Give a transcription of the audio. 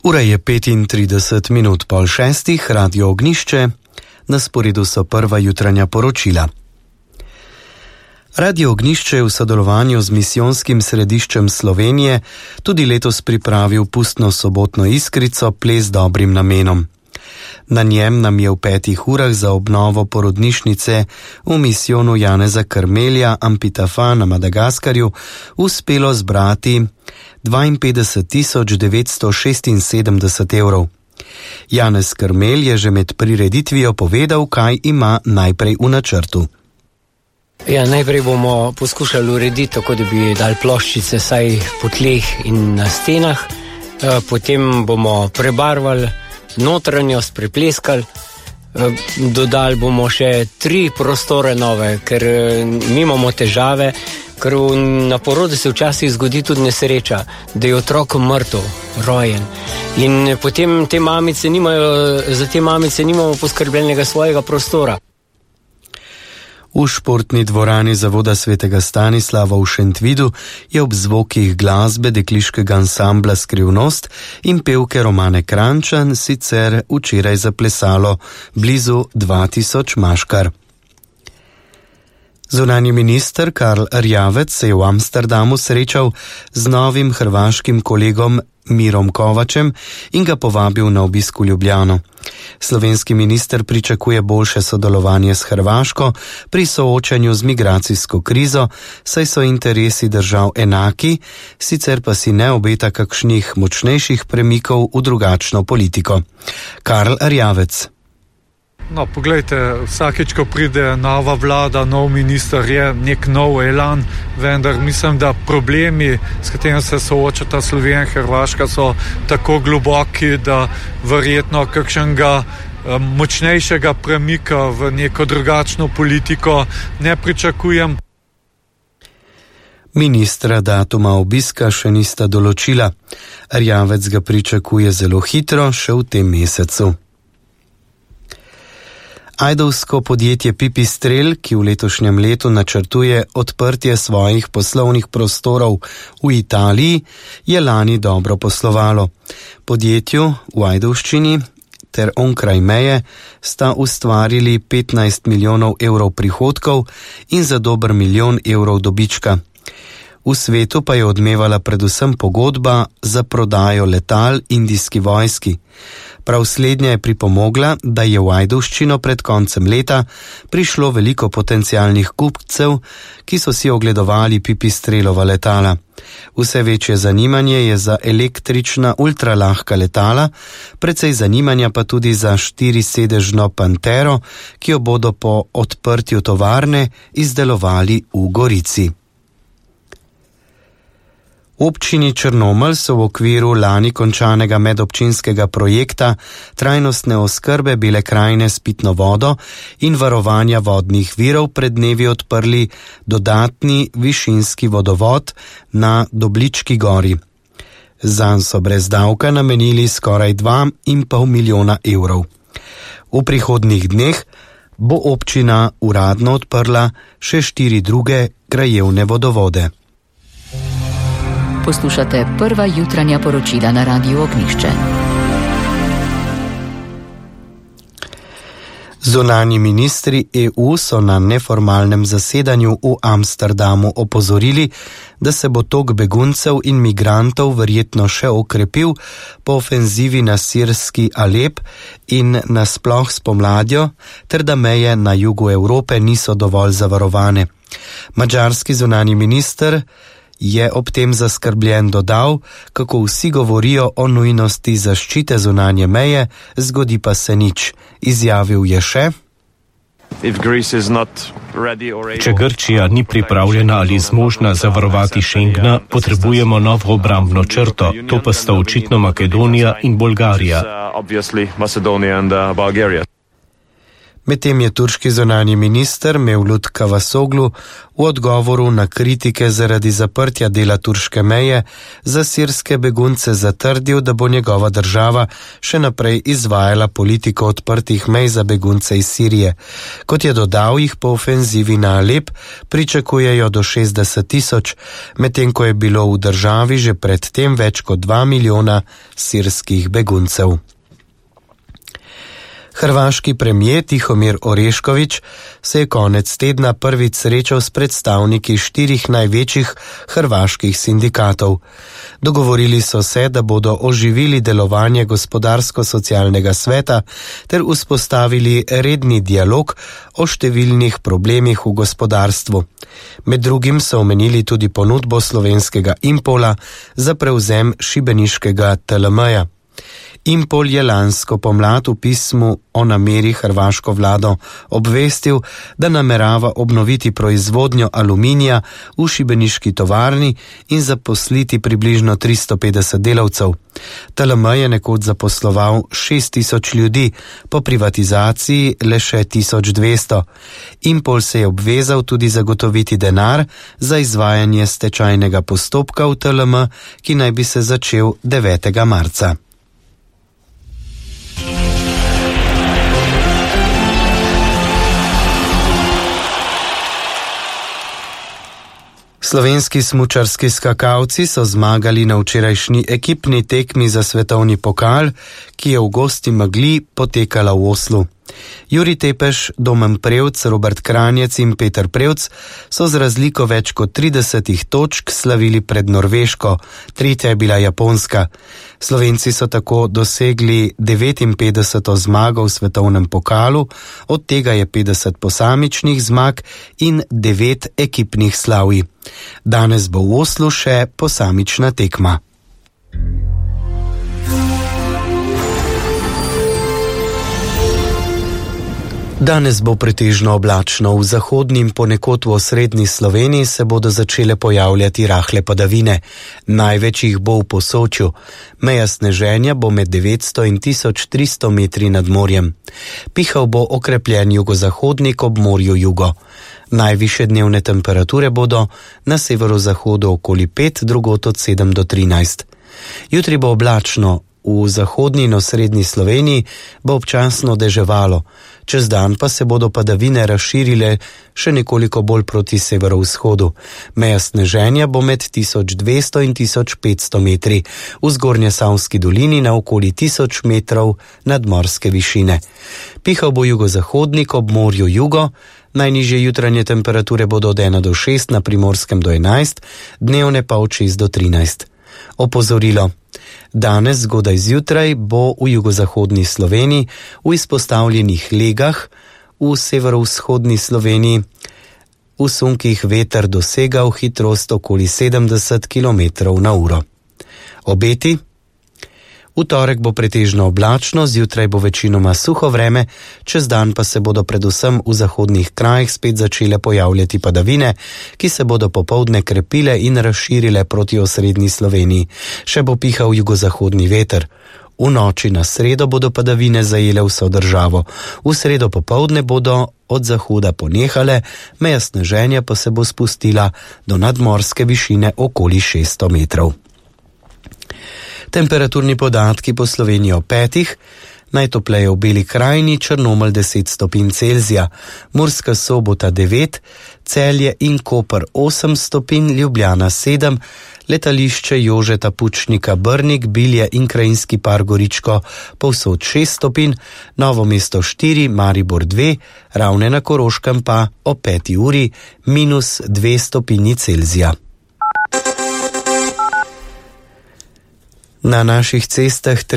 Ura je 35 minut pol šestih, Radio Ognjišče, na sporedu so prva jutranja poročila. Radio Ognjišče je v sodelovanju z Misijonskim središčem Slovenije tudi letos pripravil pustno sobotno iskrico Ples dobrim namenom. Na njem nam je v 5 urah za obnovo porodnišnice v misijonu Janeza Karmelja Ampitafa na Madagaskarju uspelo zbrati 52.976 evrov. Janez Karmelj je že med prireditvijo povedal, kaj ima najprej v načrtu. Ja, najprej bomo poskušali urediti tako, da bi dali ploščice saj po tleh in na stenah, potem bomo prebarvali notranjost, prepleskali, dodali bomo še 3 prostore nove, ker mi imamo težave, ker na porodu se včasih zgodi tudi nesreča, da je otrok mrtev, rojen. In potem za te mamice nimamo poskrbljenega svojega prostora. V športni dvorani Zavoda svetega Stanislava v Šentvidu je ob zvokih glasbe dekliškega ansambla Skrivnost in pevke Romane Krančan sicer včeraj zaplesalo blizu 2000 maškar. Zunanji minister Karl Erjavec se je v Amsterdamu srečal z novim hrvaškim kolegom Mirom Kovačem in ga povabil na obisk v Ljubljano. Slovenski minister pričakuje boljše sodelovanje s Hrvaško pri soočanju z migracijsko krizo, saj so interesi držav enaki, sicer pa si ne obeta kakšnih močnejših premikov v drugačno politiko. Karl Erjavec. No, poglejte, vsakeč, ko pride nova vlada, nov minister, je nek nov elan, vendar mislim, da problemi, s katerimi se soočata Slovenija in Hrvaška, so tako globoki, da verjetno kakšnega močnejšega premika v neko drugačno politiko ne pričakujem. Ministra datuma obiska še nista določila. Erjavec ga pričakuje zelo hitro, še v tem mesecu. Ajdovsko podjetje Pipistrel, ki v letošnjem letu načrtuje odprtje svojih poslovnih prostorov v Italiji, je lani dobro poslovalo. Podjetju v Ajdovščini ter onkraj meje sta ustvarili 15 milijonov evrov prihodkov in za dober milijon evrov dobička. V svetu pa je odmevala predvsem pogodba za prodajo letal indijski vojski. Prav slednja je pripomogla, da je v Ajdovščino pred koncem leta prišlo veliko potencialnih kupcev, ki so si ogledovali Pipistrelova letala. Vse večje zanimanje je za električna ultralahka letala, precej zanimanja pa tudi za 4-sedežno Pantero, ki jo bodo po odprtju tovarne izdelovali v Gorici. V občini Črnomelj so v okviru lani končanega medobčinskega projekta trajnostne oskrbe Bele krajine s pitno vodo in varovanja vodnih virov pred dnevi odprli dodatni višinski vodovod na Doblički gori. Zanj so brez davka namenili skoraj 2,5 milijona evrov. V prihodnjih dneh bo občina uradno odprla še 4 druge krajevne vodovode. Poslušate prva jutranja poročila na Radiu Ognjišče. Zunanji ministri EU so na neformalnem zasedanju v Amsterdamu opozorili, da se bo tok beguncev in migrantov verjetno še okrepil po ofenzivi na sirski Alep in nasploh spomladjo, ter da meje na jugu Evrope niso dovolj zavarovane. Madžarski zunanji minister je ob tem zaskrbljen dodal, kako vsi govorijo o nujnosti zaščite zunanje meje, zgodi pa se nič. Izjavil je še: Če Grčija ni pripravljena ali zmožna zavarovati Schengna, potrebujemo novo obrambno črto, to pa sta očitno Makedonija in Bolgarija. Medtem je turški zunanji minister Mevlut Cavusoglu v odgovoru na kritike zaradi zaprtja dela turške meje za sirske begunce zatrdil, da bo njegova država še naprej izvajala politiko odprtih mej za begunce iz Sirije. Kot je dodal, jih po ofenzivi na Alep pričakujejo do 60.000, medtem ko je bilo v državi že predtem več kot 2 milijona sirskih beguncev. Hrvaški premijer Tihomir Orešković se je konec tedna prvič srečal s predstavniki 4 največjih hrvaških sindikatov. Dogovorili so se, da bodo oživili delovanje gospodarsko-socialnega sveta ter vzpostavili redni dialog o številnih problemih v gospodarstvu. Med drugim so omenili tudi ponudbo slovenskega Impola za prevzem šibeniškega TLM-ja. Impol je lansko pomlad v pismu o nameri hrvaško vlado obvestil, da namerava obnoviti proizvodnjo aluminija v šibeniški tovarni in zaposliti približno 350 delavcev. TLM je nekoč zaposloval 6.000 ljudi, po privatizaciji le še 1.200. Impol se je obvezal tudi zagotoviti denar za izvajanje stečajnega postopka v TLM, ki naj bi se začel 9. marca. Slovenski smučarski skakalci so zmagali na včerajšnji ekipni tekmi za svetovni pokal, ki je v gosti megli potekala v Oslu. Jurij Tepeš, Domen Prevc, Robert Kranjec in Peter Prevc so z razliko več kot 30 točk slavili pred Norveško, tretja je bila Japonska. Slovenci so tako dosegli 59. zmago v svetovnem pokalu, od tega je 50 posamičnih zmag in 9 ekipnih slavij. Danes bo v Oslu še posamična tekma. Danes bo pretežno oblačno, v zahodni in ponekod v osrednji Sloveniji se bodo začele pojavljati rahle padavine. Največ jih bo v Posočju. Meja sneženja bo med 900 in 1300 metri nad morjem. Pihal bo okrepljen jugozahodnik ob morju jugo. Najvišje dnevne temperature bodo na severozahodu okoli 5, drugod od 7 do 13. Jutri bo oblačno, v zahodni in osrednji Sloveniji bo občasno deževalo. Čez dan pa se bodo padavine razširile še nekoliko bolj proti severovzhodu. Meja sneženja bo med 1200 in 1500 metri, v Zgornjesavski dolini na okoli 1000 metrov nadmorske višine. Pihal bo jugozahodnik ob morju jugo, najnižje jutranje temperature bodo od 1 do 6, na Primorskem do 11, dnevne pa od 6 do 13. Opozorilo. Danes zgodaj zjutraj bo v jugozahodni Sloveniji v izpostavljenih legah, v severovzhodni Sloveniji v sunkih veter dosegal hitrost okoli 70 km na uro. Obeti. V torek bo pretežno oblačno, zjutraj bo večinoma suho vreme, čez dan pa se bodo predvsem v zahodnih krajih spet začele pojavljati padavine, ki se bodo popoldne krepile in razširile proti osrednji Sloveniji. Še bo pihal jugozahodni veter. V noči na sredo bodo padavine zajele vso državo. V sredo popoldne bodo od zahoda ponehale, meja sneženja pa se bo spustila do nadmorske višine okoli 600 metrov. Temperaturni podatki po Sloveniji o 5, najtopleje v Beli krajini, Črnomelj 10 stopinj Celzija, Murska Sobota 9, Celje in Koper 8 stopinj, Ljubljana 7, letališče Jožeta Pučnika Brnik, Bilje in Krajinski par Goričko povsod 6 stopinj, Novo mesto 4, Maribor 2, Ravne na Koroškem pa o 5 uri -2 stopinji Celzija. Na naših cestah